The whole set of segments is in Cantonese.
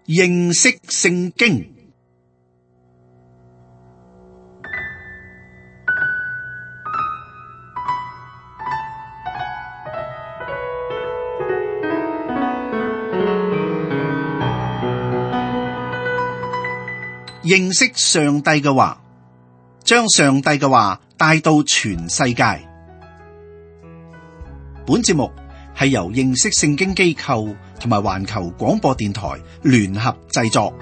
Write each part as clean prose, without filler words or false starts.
認識聖經。認識上帝嘅話，將上帝嘅話帶到全世界。本節目係由認識聖經機構同埋環球廣播電台聯合製作。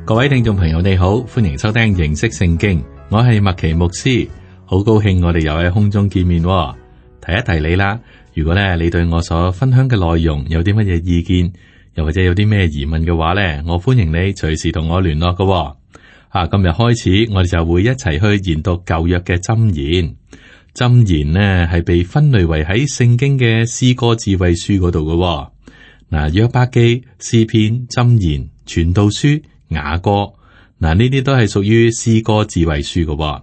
各位聽眾朋友，你好，歡迎收聽認識聖經，我係麥奇牧師。好高興我哋又喺空中見面喎。提一提你啦，如果咧你對我所分享嘅內容有啲乜嘢意見，又或者有啲咩疑問嘅話咧，我歡迎你隨時同我聯絡㗎喎。今日開始我哋就會一齊去研讀舊約嘅箴言。箴言呢係被分類為喺聖經嘅詩歌智慧書嗰度㗎喎。嗱，約伯記、詩篇、箴言、傳道書、雅歌，嗱呢啲都係屬於詩歌智慧書㗎喎。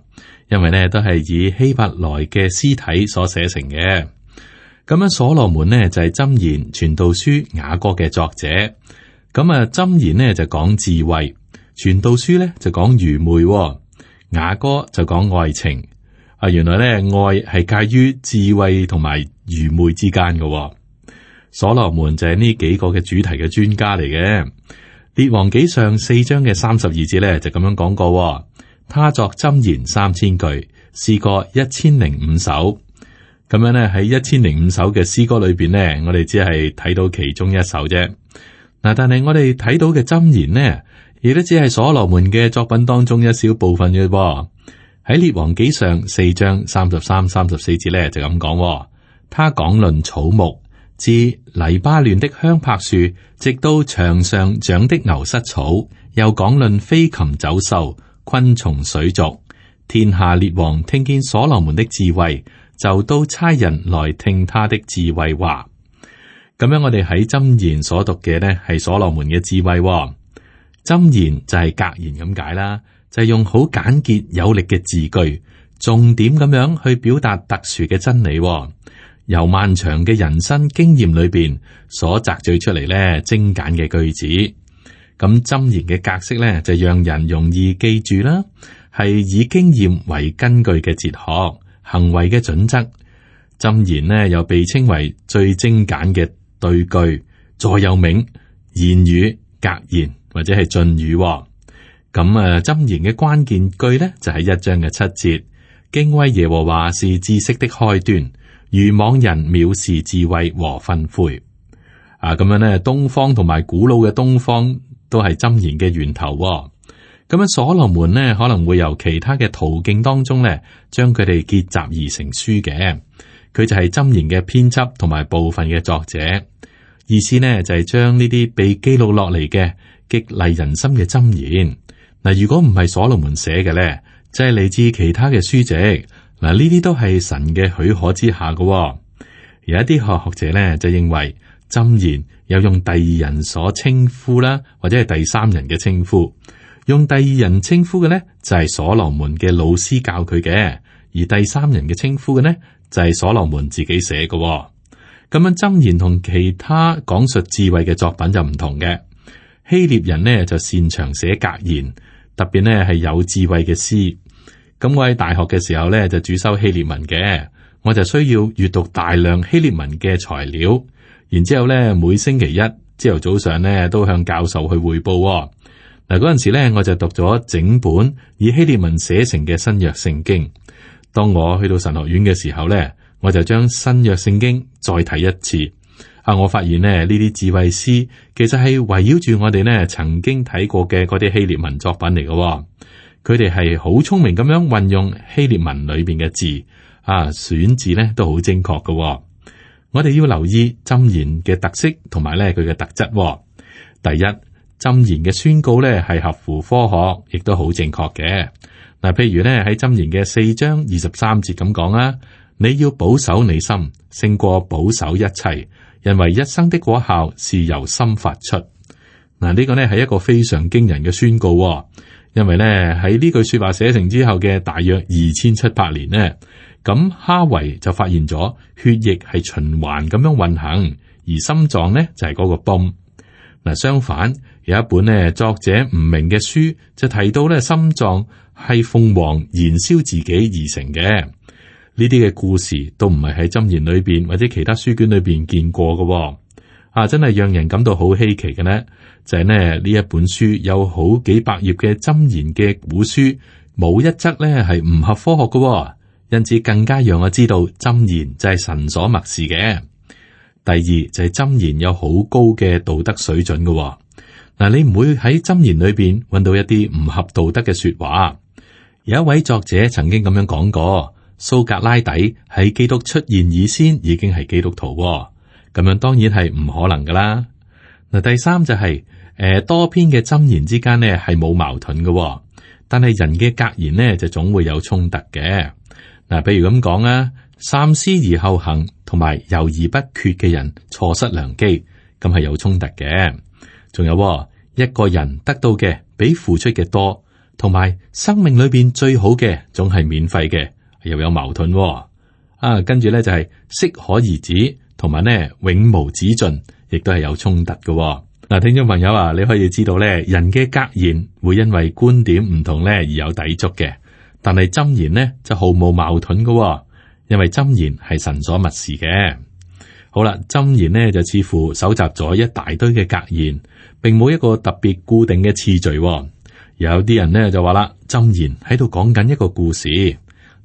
因為咧都係以希伯來嘅詩體所寫成嘅，咁樣所羅門呢就係箴言、傳道書、雅歌嘅作者。咁箴言呢就講智慧，傳道書咧就講愚昧，雅歌就講愛情。原來咧愛係介於智慧同埋愚昧之間嘅。所羅門就係呢幾個嘅主題嘅專家嚟嘅。列王紀上4章嘅32節咧就咁樣講過。他作箴言3000句，詩歌1005首。咁樣咧喺1005首嘅詩歌裏邊呢，我哋只係睇到其中一首啫。嗱，但係我哋睇到嘅箴言呢，亦都只係所羅門嘅作品當中一小部分嘅。喺列王紀上4章33、34節咧就咁講。他講論草木，自黎巴嫩的香柏樹，直到牆上長的牛膝草，又講論飛禽走獸、昆蟲水族。天下列王聽見所羅門的智慧，就都差人來聽他的智慧話。咁樣我哋喺箴言所讀嘅呢係所羅門嘅智慧。箴言就係格言咁解啦，就係用好簡潔有力嘅字句，重點咁樣去表達特殊嘅真理，由漫長嘅人生經驗裏邊所摘取出嚟呢精簡嘅句子。咁箴言嘅格式咧，就讓人容易記住啦，係以經驗為根據嘅哲學、行為嘅準則。箴言呢又被稱為最精簡嘅對句、座右銘、言語、格言或者係進語。咁箴言嘅關鍵句咧就係1章嘅7節，敬畏耶和華是知識的開端，愚妄人藐視智慧和訓誨。咁樣咧，東方同埋古老嘅東方都係箴言嘅源頭。咁樣所羅門呢可能會由其他嘅途徑當中咧，將佢哋結集而成書嘅。佢就係箴言嘅編輯同埋部分嘅作者。意思呢就係將呢啲被記錄落嚟嘅激勵人心嘅箴言。嗱，如果唔係所羅門寫嘅咧，就係嚟自其他嘅書籍。嗱，呢啲都係神嘅許可之下嘅。有一啲學者咧就認為，箴言有用第二人所稱呼啦，或者係第三人嘅稱呼。用第二人稱呼嘅呢，就係所羅門嘅老師教佢嘅，而第三人嘅稱呼嘅呢，就係所羅門自己寫嘅。咁樣箴言同其他講述智慧嘅作品就唔同嘅。希臘人呢就擅長寫格言，特別呢係有智慧嘅詩。咁我喺大學嘅時候呢就主修希臘文嘅，我就需要閱讀大量希臘文嘅材料。然之後咧，每星期一朝頭早上咧，都向教授去匯報。嗱，嗰陣時咧，我就讀咗整本以希臘文寫成嘅新約聖經。當我去到神學院嘅時候咧，我就將新約聖經再睇一次。我發現呢啲智慧詩其實係圍繞住我哋呢曾經睇過嘅嗰啲希臘文作品嚟嘅。佢哋係好聰明咁樣運用希臘文裏邊嘅字，選字呢都好精確嘅。我哋要留意箴言嘅特色同埋咧佢嘅特質。第一，箴言嘅宣告咧係合乎科學，亦都好正確嘅。嗱，譬如咧喺箴言嘅4章23節咁講啦，你要保守你心，勝過保守一切，因為一生的果效是由心發出。嗱，呢個呢係一個非常驚人嘅宣告。因為咧喺呢句說話寫成之後嘅大約2700年呢，咁哈維就發現咗血液係循環咁樣運行，而心臟呢就係嗰個泵。嗱，相反有一本呢作者唔明嘅書就提到咧心臟係鳳凰燃燒自己而成嘅。呢啲嘅故事都唔係喺箴言裏邊或者其他書卷裏邊見過嘅。真係讓人感到好稀奇嘅呢，就係呢一本書有好幾百頁嘅箴言嘅古書，冇一則呢係唔合科學嘅，因此更加讓我知道箴言就係神所默示嘅。第二就係箴言有好高嘅道德水準嘅。嗱，你唔會喺箴言裏邊揾到一啲唔合道德嘅說話。有一位作者曾經咁樣講過，蘇格拉底喺基督出現以先已經係基督徒。咁樣當然係唔可能噶啦。嗱，第三就係多篇嘅箴言之間呢係冇矛盾嘅，但係人嘅格言呢就總會有衝突嘅。嗱，比如咁講啊，三思而後行同埋猶豫不決嘅人錯失良機，咁係有衝突嘅。仲有一個人得到嘅比付出嘅多，同埋生命裏邊最好嘅總係免費嘅，又有矛盾。跟住咧就係適可而止。同埋呢，永無止盡，亦都係有衝突嘅。嗱，聽眾朋友啊，你可以知道咧，人嘅格言會因為觀點唔同咧而有抵觸嘅，但係箴言呢就毫無矛盾嘅，因為箴言係神所默示嘅。好啦，箴言呢就似乎搜集咗一大堆嘅格言，並冇一個特別固定嘅次序。有啲人呢就話啦，箴言喺度講緊一個故事。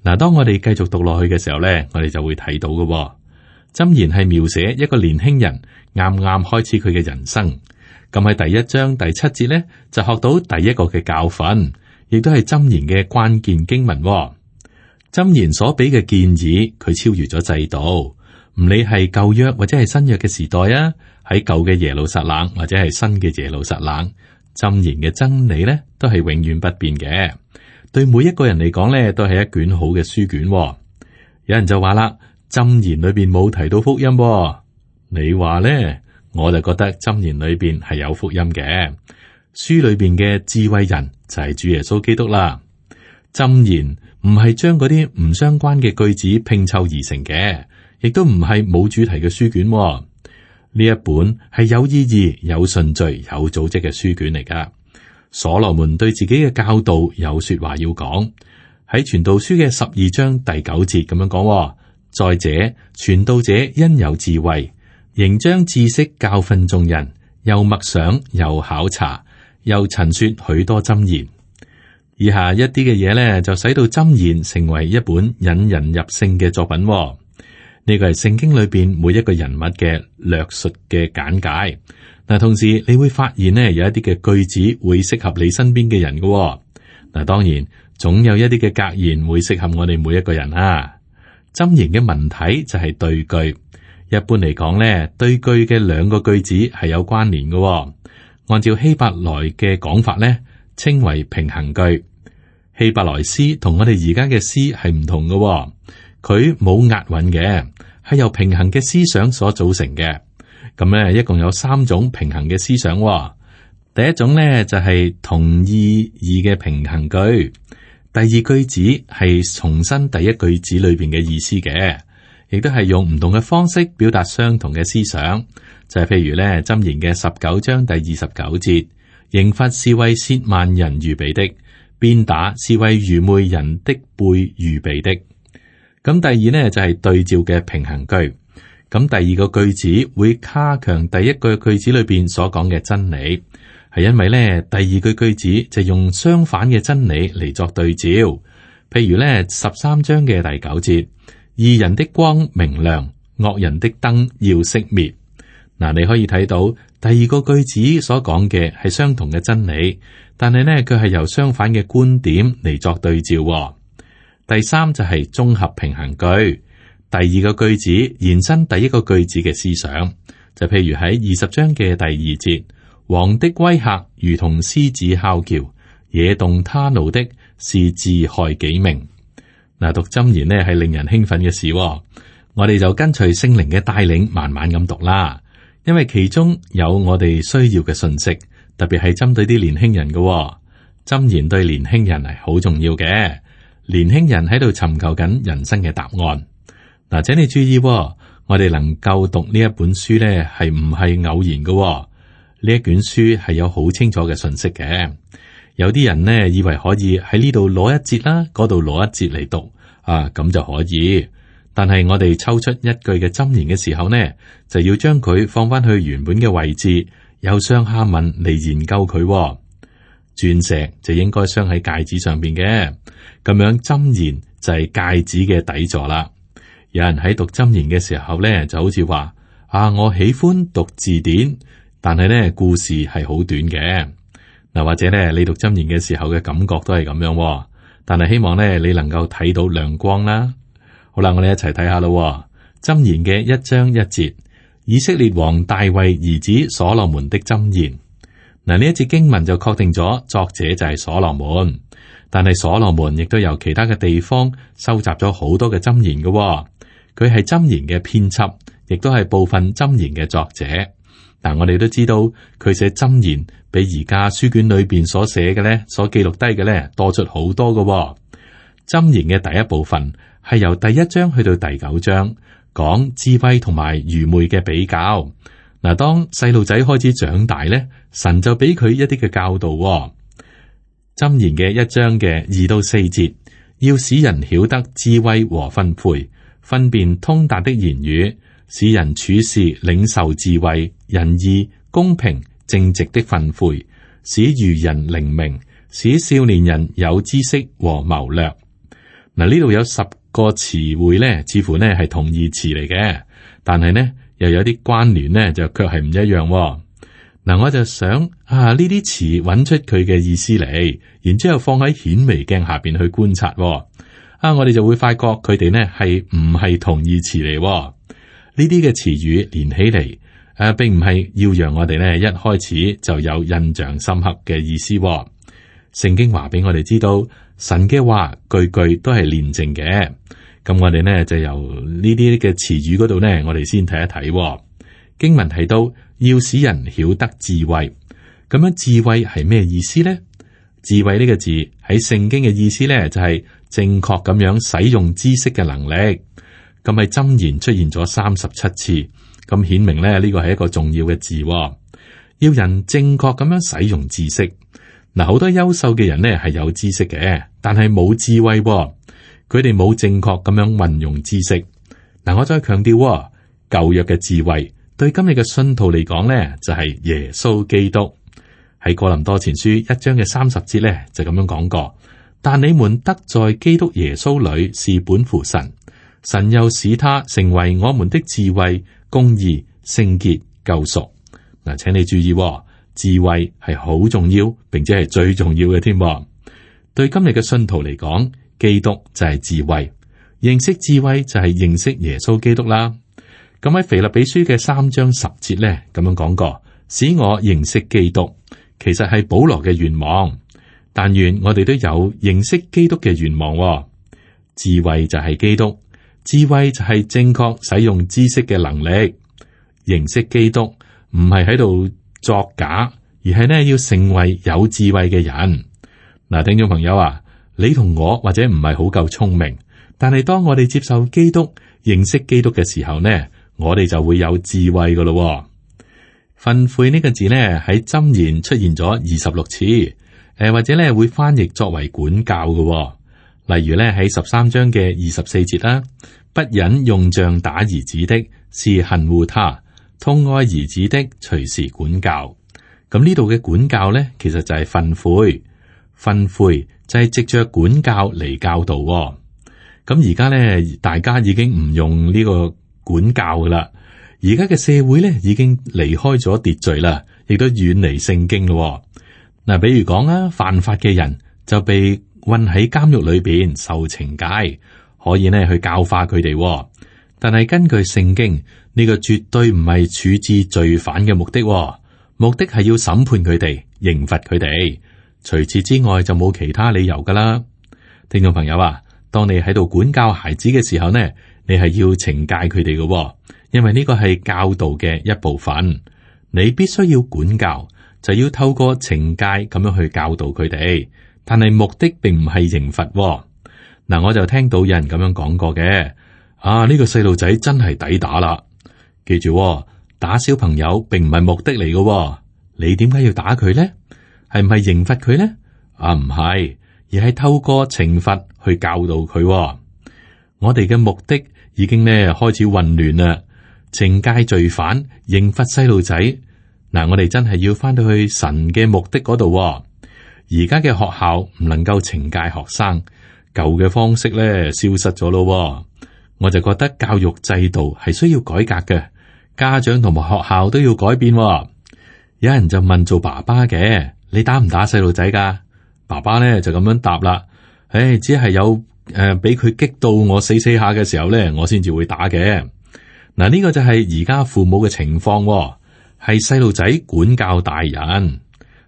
嗱，當我哋繼續讀落去嘅時候咧，我哋就會睇到嘅。箴言係描寫一個年輕人啱啱開始佢嘅人生，咁喺第1章第7節呢，就學到第一個嘅教訓，亦都係箴言嘅關鍵經文。箴言所俾嘅建議，佢超越咗制度，唔理係舊約或者係新約嘅時代啊，喺舊嘅耶路撒冷或者係新嘅耶路撒冷，箴言嘅真理呢都係永遠不變嘅。對每一個人嚟講呢，都係一卷好嘅書卷。有人就話啦，箴言裏邊冇提到福音。你話呢，我就覺得箴言裏邊係有福音嘅。書裏邊嘅智慧人就係主耶穌基督啦。箴言唔係將嗰啲唔相關嘅句子拼湊而成嘅，亦都唔係冇主題嘅書卷。呢一本係有意義、有順序、有組織嘅書卷嚟噶。所羅門對自己嘅教導有說話要講，喺傳道書嘅12章第9節咁樣講。再者，傳道者因有智慧，仍將知識教訓眾人，又默想，又考察，又陳說許多箴言。以下一啲嘅嘢呢，就使到箴言成為一本引人入勝嘅作品。呢個係聖經裏邊每一個人物嘅略述嘅簡介。嗱，同時你會發現呢，有一啲嘅句子會適合你身邊嘅人嘅。嗱，當然總有一啲嘅格言會適合我哋每一個人啊。箴言嘅文體就係對句，一般嚟講咧，對句嘅兩個句子係有關聯嘅。按照希伯來嘅講法咧，稱為平衡句。希伯來詩同我哋而家嘅詩係唔同嘅，佢冇押韻嘅，係由平衡嘅思想所組成嘅。咁咧，一共有3種平衡嘅思想。第一種咧就係同意義嘅平衡句。第二句子係重申第一句子裏邊嘅意思嘅，亦都係用唔同嘅方式表達相同嘅思想。就係譬如咧，箴言嘅19章第29節，刑罰是為褻慢人預備的，鞭打是為愚昧人的背預備的。咁第二呢，就係對照嘅平衡句。咁第二個句子會加強第一個句子裏邊所講嘅真理。係因為咧，第二句子就用相反嘅真理嚟作對照。譬如咧，13章嘅第9節，義人的光明亮，惡人的燈要熄滅。嗱，你可以睇到第二個句子所講嘅係相同嘅真理，但係呢，佢係由相反嘅觀點嚟作對照。第三就係綜合平衡句。第二個句子延伸第一個句子嘅思想，就譬如喺20章嘅第2節。王的威嚇如同獅子哮叫，惹動他怒的是自害己命。嗱，讀箴言呢係令人興奮嘅事。我哋就跟隨聖靈嘅帶領，慢慢咁讀啦。因為其中有我哋需要嘅信息，特別係針對啲年輕人嘅。箴言對年輕人係好重要嘅。年輕人喺度尋求緊人生嘅答案。嗱，請你注意，我哋能夠讀呢一本書呢，係唔係偶然嘅？呢一卷書係有好清楚嘅信息嘅。有啲人呢，以為可以喺呢度攞一節啦，嗰度攞一節嚟讀啊，咁就可以。但係我哋抽出一句嘅箴言嘅時候呢，就要將佢放翻去原本嘅位置，由上下文嚟研究佢。鑽石就應該鑲喺戒指上邊嘅，咁樣箴言就係戒指嘅底座啦。有人喺讀箴言嘅時候呢，就好似話啊，我喜歡讀字典，但係呢故事係好短嘅。嗱，或者呢你讀箴言嘅時候嘅感覺都係咁樣，但係希望呢你能夠睇到亮光啦。好啦，我哋一齊睇下咯。箴言嘅1章1節，以色列王大衛兒子所羅門的箴言。嗱，呢一節經文就確定咗作者就係所羅門，但係所羅門亦都由其他嘅地方收集咗好多嘅箴言嘅。佢係箴言嘅編輯，亦都係部分箴言嘅作者。但我哋都知道佢寫箴言比而家書卷裏邊所寫嘅咧，所記錄低嘅咧多出好多嘅。箴言嘅第一部分係由第1章去到第9章，講智慧同埋愚昧嘅比較。嗱，當細路仔開始長大咧，神就俾佢一啲嘅教導。箴言嘅1章嘅2到4節，要使人曉得智慧和訓誨，分辨通達的言語，使人處事領受智慧、仁義、公平、正直的訓誨，使愚人靈明，使少年人有知識和謀略。嗱，呢度有10個詞彙咧，似乎呢係同義詞嚟嘅，但係呢又有啲關聯呢，就卻係唔一樣。嗱，我就想呢啲詞揾出佢嘅意思嚟，然之後放喺顯微鏡下邊去觀察。我哋就會發覺佢哋呢係唔係同義詞嚟。呢啲嘅詞語連起嚟，並唔係要讓我哋呢一開始就有印象深刻嘅意思。聖經話俾我哋知道，神嘅話句句都係煉淨嘅。咁我哋呢就由呢啲嘅詞語嗰度呢，我哋先睇一睇。經文提到要使人曉得智慧，咁樣智慧係咩意思呢？智慧呢個字喺聖經嘅意思呢，就係正確咁樣使用知識嘅能力。咁喺箴言出現咗37次，咁顯明呢個係一個重要嘅字。要人正確咁樣使用知識。嗱，好多優秀嘅人呢係有知識嘅，但係冇智慧，佢哋冇正確咁樣運用知識。嗱，我再強調，舊約嘅智慧對今日嘅信徒嚟講呢，就係耶穌基督。喺哥林多前書1章嘅30節呢，就咁樣講過，但你們得在基督耶穌裏是本乎神，神又使他成為我們的智慧、公義、聖潔、救贖。嗱，請你注意，智慧係好重要，並且係最重要嘅添。對今日嘅信徒嚟講，基督就係智慧，認識智慧就係認識耶穌基督啦。咁喺腓立比書嘅3章10節咧，咁樣講過，使我認識基督，其實係保羅嘅願望。但願我哋都有認識基督嘅願望。智慧就係基督，智慧就係正確使用知識嘅能力。認識基督唔係喺度作假，而係呢要成為有智慧嘅人。嗱，聽眾朋友啊，你同我或者唔係好夠聰明，但係當我哋接受基督、認識基督嘅時候呢，我哋就會有智慧噶咯。訓誨呢個字呢喺箴言出現咗26次，或者呢會翻譯作為管教嘅。例如呢喺13章嘅24節啦，不忍用杖打兒子的，是恨惡他；痛愛兒子的，隨時管教。咁呢度嘅管教呢，其實就係訓誨。訓誨就係藉着管教嚟教導。咁而家呢，大家已經唔用呢個管教噶啦。而家嘅社會呢，已經離開咗秩序啦，亦都遠離聖經咯。嗱，比如講啊，犯法嘅人就被困喺監獄裏邊受懲戒，可以呢去教化佢哋。但係根據聖經，呢個絕對唔係處置罪犯嘅目的，目的係要審判佢哋，刑罰佢哋。除此之外就冇其他理由噶啦。聽眾朋友啊，當你喺度管教孩子嘅時候呢，你係要懲戒佢哋嘅，因為呢個係教導嘅一部分。你必須要管教，就要透過懲戒咁樣去教導佢哋，但係目的並唔係刑罰。嗱，我就聽到有人咁樣講過嘅，呢個細路仔真係抵打啦。記住，打小朋友並唔係目的嚟嘅，你點解要打佢呢？係唔係刑罰佢呢？唔係，而係透過懲罰去教導佢。我哋嘅目的已經呢開始混亂啦，懲戒罪犯，刑罰細路仔。嗱，我哋真係要翻到去神嘅目的嗰度。而家嘅學校唔能夠懲戒學生，舊嘅方式咧消失咗咯。我就覺得教育制度係需要改革嘅，家長同埋學校都要改變。有人就問做爸爸嘅，你打唔打細路仔噶？爸爸咧就咁樣答啦，只係有俾佢激到我死下嘅時候咧，我先至會打嘅。嗱，呢個就係而家父母嘅情況，係細路仔管教大人。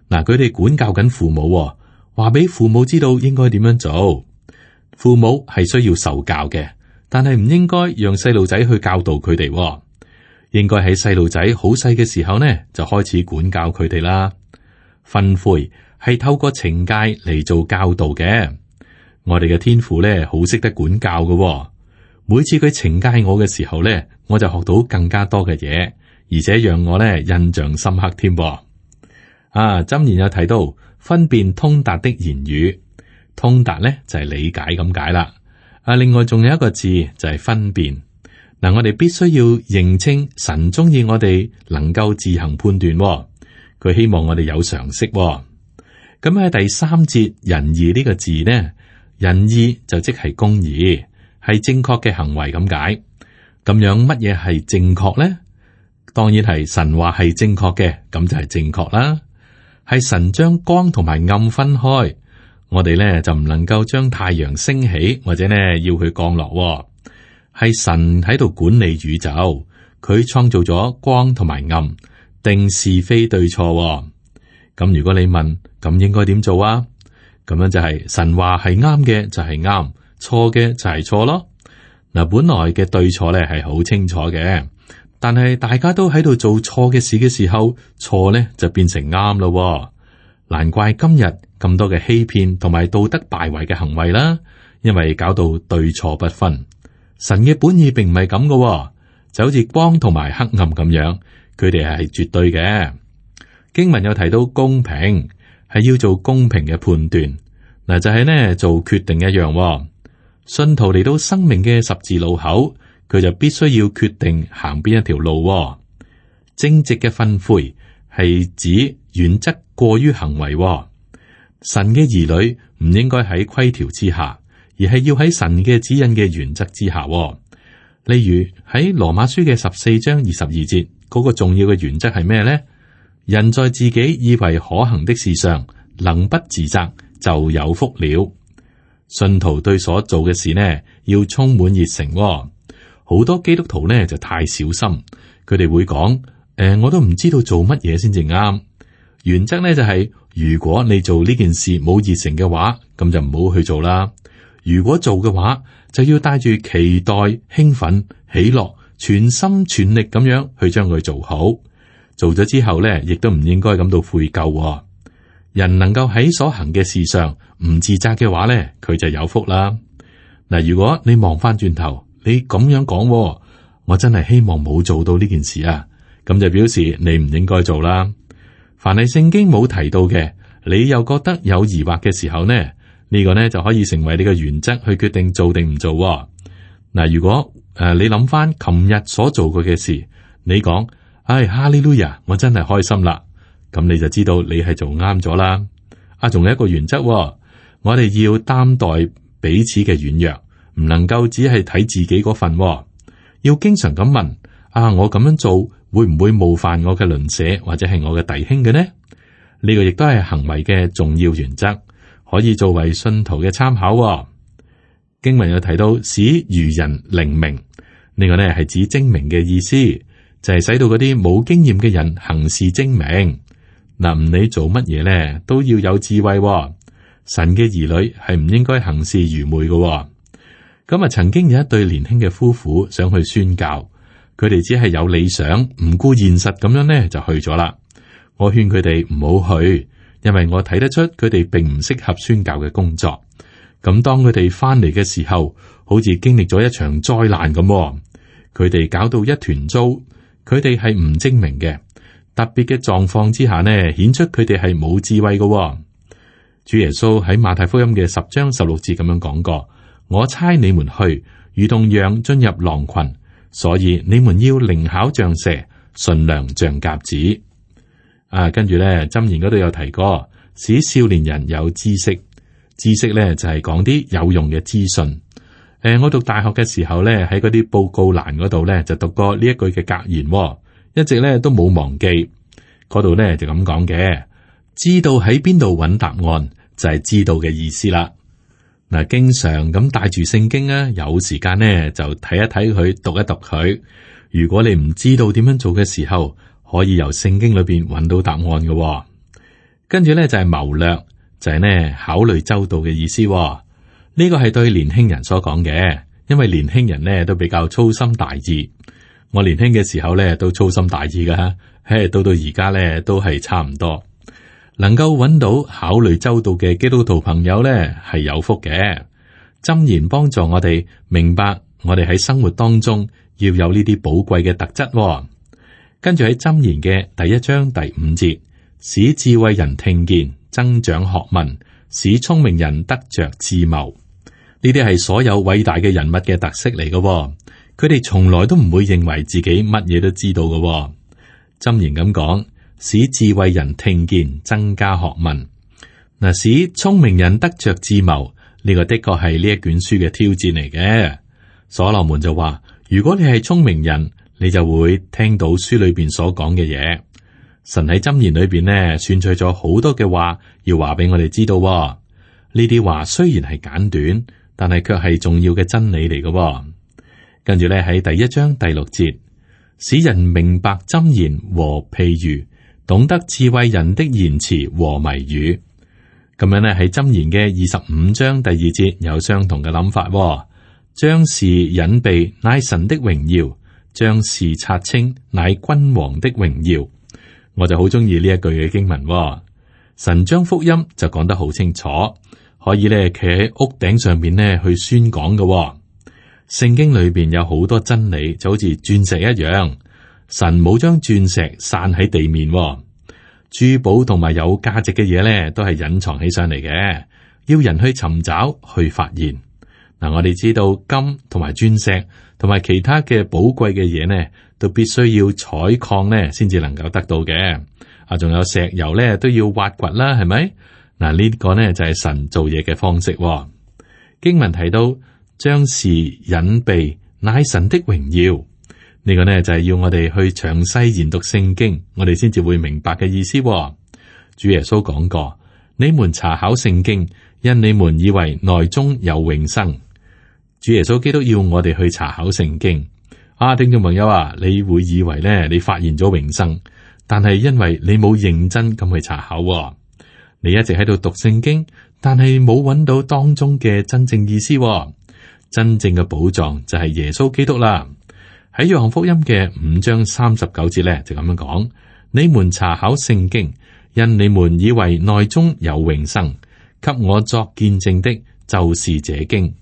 嗱，佢哋管教緊父母，話俾父母知道應該點樣做。父母係需要受教嘅，但係唔應該讓細路仔去教導佢哋。應該喺細路仔好細嘅時候呢，就開始管教佢哋啦。訓誨係透過懲戒嚟做教導嘅。我哋嘅天父呢，好識得管教嘅。每次佢懲戒我嘅時候呢，我就學到更加多嘅嘢，而且讓我呢印象深刻添。箴言有提到分辨通達的言語，通達呢就係理解咁解啦。另外仲有一個字就係分辨。嗱，我哋必須要認清神中意我哋能夠自行判斷，佢希望我哋有常識。咁喺第三節仁義呢個字呢，仁義就即係公義，係正確嘅行為咁解。咁樣乜嘢係正確呢？當然係神話係正確嘅，咁就係正確啦。係神將光同埋暗分開，我哋呢就唔能夠將太陽升起，或者呢要佢降落。係神喺度管理宇宙，佢創造咗光同埋暗，定是非對錯。咁如果你問，咁應該點做啊？咁樣就係神話係啱嘅就係啱，錯嘅就係錯咯。嗱，本來嘅對錯咧係好清楚嘅，但係大家都喺度做錯嘅事嘅時候，錯咧就變成啱咯。難怪今日咁多嘅欺騙同埋道德敗壞嘅行為啦，因為搞到對錯不分。神嘅本意並唔係咁嘅，就好似光同埋黑暗咁樣，佢哋係絕對嘅。經文有提到公平，係要做公平嘅判斷。嗱，就係呢做決定一樣。信徒嚟到生命嘅十字路口，佢就必須要決定行邊一條路。正直嘅訓誨係指原則過於行為。神嘅兒女唔應該喺規條之下，而係要喺神嘅指引嘅原則之下。例如喺羅馬書嘅14章22節，嗰個重要嘅原則係咩呢？人在自己以為可行的事上，能不自責，就有福了。信徒對所做嘅事呢，要充滿熱誠。好多基督徒呢就太小心，佢哋會講：我都唔知道做乜嘢先至啱。原則呢就係，如果你做呢件事冇熱誠嘅話，咁就唔好去做啦。如果做嘅話，就要帶住期待、興奮、喜樂，全心全力咁樣去將佢做好。做咗之後呢，亦都唔應該感到悔疚。人能夠喺所行嘅事上唔自責嘅話呢，佢就有福啦。嗱，如果你望翻轉頭，你咁樣講，我真係希望冇做到呢件事啊，咁就表示你唔應該做啦。凡係聖經冇提到嘅，你又覺得有疑惑嘅時候呢，呢個呢就可以成為你嘅原則去決定做定唔做。嗱，如果你諗翻琴日所做過嘅事，你講，哈利路亞，我真係開心啦，咁你就知道你係做啱咗啦。仲有一個原則，我哋要擔待彼此嘅軟弱，唔能夠只係睇自己嗰份，要經常咁問，我咁樣做會唔會冒犯我嘅鄰舍或者係我嘅弟兄嘅呢？呢個亦都係行為嘅重要原則，可以作為信徒嘅參考。經文有提到使愚人靈明，呢個呢係指精明嘅意思，就係使到嗰啲冇經驗嘅人行事精明。嗱，唔理做乜嘢呢，都要有智慧。神嘅兒女係唔應該行事愚昧嘅。咁曾經有一對年輕嘅夫婦想去宣教，佢哋只係有理想，唔顧現實咁樣呢就去咗啦。我勸佢哋唔好去，因為我睇得出佢哋並唔適合宣教嘅工作。咁當佢哋翻嚟嘅時候，好似經歷咗一場災難咁，佢哋搞到一團糟，佢哋係唔精明嘅。特別嘅狀況之下呢，顯出佢哋係冇智慧嘅。主耶穌喺馬太福音嘅10章16節咁樣講過：我差你們去，如同羊進入狼群，所以你們要靈巧像蛇，馴良像鴿子。跟住咧，箴言嗰度有提過，使少年人有知識。知識咧就係講啲有用嘅資訊。我讀大學嘅時候咧，喺嗰啲報告欄嗰度咧就讀過呢一句嘅格言，一直咧都冇忘記。嗰度咧就咁講嘅，知道喺邊度揾答案就係知道嘅意思啦。嗱，經常咁帶住聖經啊，有時間呢就睇一睇佢，讀一讀佢。如果你唔知道點樣做嘅時候，可以由聖經裏邊揾到答案嘅。跟住咧就係謀略，就係呢考慮周到嘅意思。呢個係對年輕人所講嘅，因為年輕人呢都比較粗心大意。我年輕嘅時候呢都粗心大意噶，到而家呢都係差唔多。能夠揾到考慮周到嘅基督徒朋友呢係有福嘅。箴言幫助我哋明白，我哋喺生活當中要有呢啲寶貴嘅特質。跟住喺箴言嘅第1章第5節，使智慧人聽見，增長學問，使聰明人得着智謀。呢啲係所有偉大嘅人物嘅特色嚟嘅。佢哋從來都唔會認為自己乜嘢都知道嘅。箴言咁講，使智慧人聽見，增加學問。嗱，使聰明人得着智謀，呢個的確係呢一卷書嘅挑戰嚟嘅。所羅門就話，如果你係聰明人，你就會聽到書裏邊所講嘅嘢。神喺箴言裏邊呢，選取咗好多嘅話，要話俾我哋知道。呢啲話雖然係簡短，但係卻係重要嘅真理嚟嘅。跟住咧喺第1章第6節，使人明白箴言和譬喻，懂得智慧人的言辭和謎語。咁樣呢，喺箴言嘅25章第2節有相同嘅諗法。將事隱秘乃神的榮耀，將事察清乃君王的榮耀。我就好中意呢一句嘅經文。神將福音就講得好清楚，可以咧企喺屋頂上面咧去宣講嘅。聖經裏邊有好多真理，就好似鑽石一樣。神冇將鑽石散喺地面，珠寶同埋有價值嘅嘢咧，都係隱藏起上嚟嘅，要人去尋找去發現。嗱，我哋知道金同埋鑽石同埋其他嘅寶貴嘅嘢呢，都必須要採礦呢先至能夠得到嘅。仲有石油咧都要挖掘啦，係咪？嗱，呢個呢就係神做嘢嘅方式。經文提到將事隱秘乃神的榮耀，呢個呢就係要我哋去詳細研讀聖經，我哋先至會明白嘅意思。主耶穌講過，你們查考聖經，因你們以為內中有永生。主耶穌基督要我哋去查考聖經。聽眾朋友啊，你會以為呢你發現咗永生，但係因為你冇認真咁去查考。你一直喺度讀聖經，但係冇揾到當中嘅真正意思。真正嘅寶藏就係耶穌基督啦。喺約翰福音嘅5章39節咧就咁樣講：你們查考聖經，因你們以為內中有永生，給我作見證的，就是這經。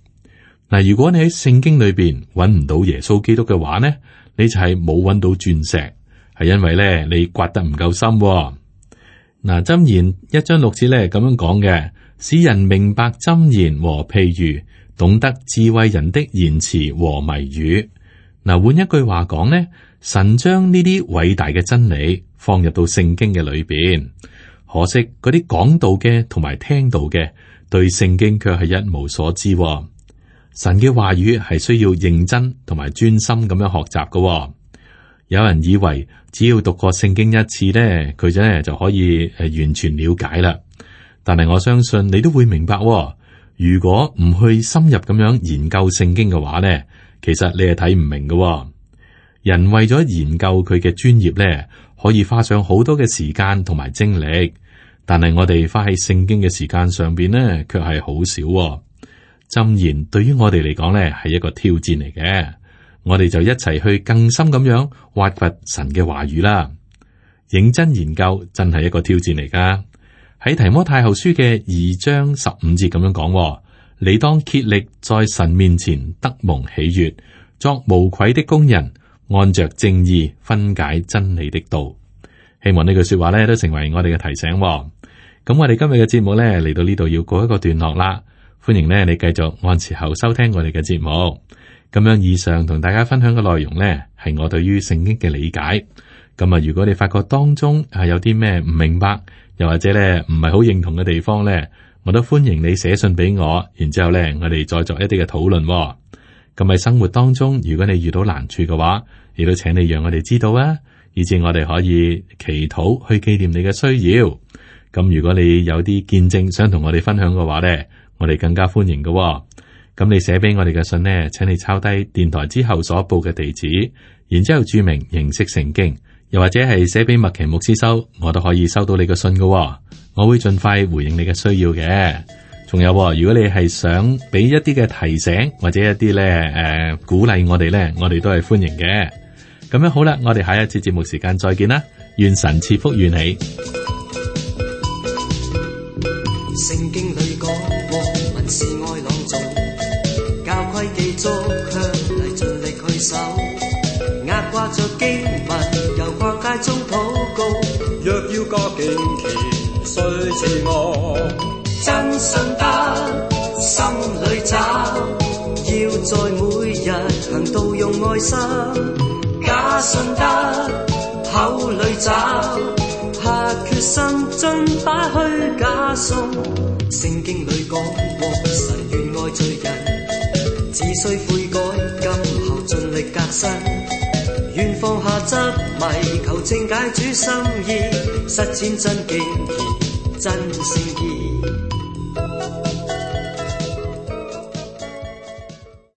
嗱，如果你喺聖經裏邊揾唔到耶穌基督嘅話呢，你就係冇揾到鑽石，係因為咧你刮得唔夠深。嗱，箴言1章6節咧咁樣講嘅，使人明白箴言和譬喻，懂得智慧人的言辭和謎語。嗱，換一句話講呢，神將呢啲偉大嘅真理放入到聖經嘅裏邊，可惜嗰啲講道嘅同埋聽道嘅對聖經卻係一無所知。神嘅話語係需要認真同埋專心咁樣學習嘅。有人以為只要讀過聖經一次呢，佢就可以完全了解啦。但係我相信你都會明白，如果唔去深入咁樣研究聖經嘅話呢，其實你係睇唔明嘅。人為咗研究佢嘅專業呢，可以花上好多嘅時間同埋精力，但係我哋花喺聖經嘅時間上邊呢，卻係好少。箴言對於我哋嚟講呢，係一個挑戰嚟嘅。我哋就一齊去更深咁樣挖掘神嘅話語啦。認真研究真係一個挑戰嚟噶。喺提摩太後書嘅2章15節咁樣講，你當竭力在神面前得蒙喜悅，作無愧的工人，按着正義分解真理的道。希望呢句說話咧都成為我哋嘅提醒。咁我哋今日嘅節目咧嚟到呢度要告一個段落啦。歡迎咧你繼續按時候收聽我哋嘅節目。咁樣以上同大家分享嘅內容呢，係我對於聖經嘅理解。咁啊，如果你發覺當中係有啲咩唔明白，又或者咧唔係好認同嘅地方咧，我都歡迎你寫信俾我，然之後咧我哋再作一啲嘅討論。咁喺生活當中，如果你遇到難處嘅話，亦都請你讓我哋知道啊，以至我哋可以祈禱去紀念你嘅需要。咁如果你有啲見證想同我哋分享嘅話咧，我哋更加歡迎嘅。咁你寫俾我哋嘅信呢，請你抄低電台之後所報嘅地址，然之後注明認識聖經，又或者係寫俾麥奇牧師收，我都可以收到你嘅信嘅。我會盡快回應你嘅需要嘅。仲有，如果你係想俾一啲嘅提醒或者一啲咧鼓勵我哋咧，我哋都係歡迎嘅。咁樣好啦，我哋下一次節目時間再見啦，願神賜福與你。聖經裏講過，文是愛朗誦，教規記足，卻嚟盡力去守。壓掛着經文，由各界中禱告。若要過敬虔，須自我。真信得，心裏找，要在每日行道用愛心。假信得，口裏找。下決心盡擺虛假信，聖經裏講過，神願愛罪人，只需悔改，今後盡力革新，願放下執迷，求正解主心意，實踐真敬虔，真聖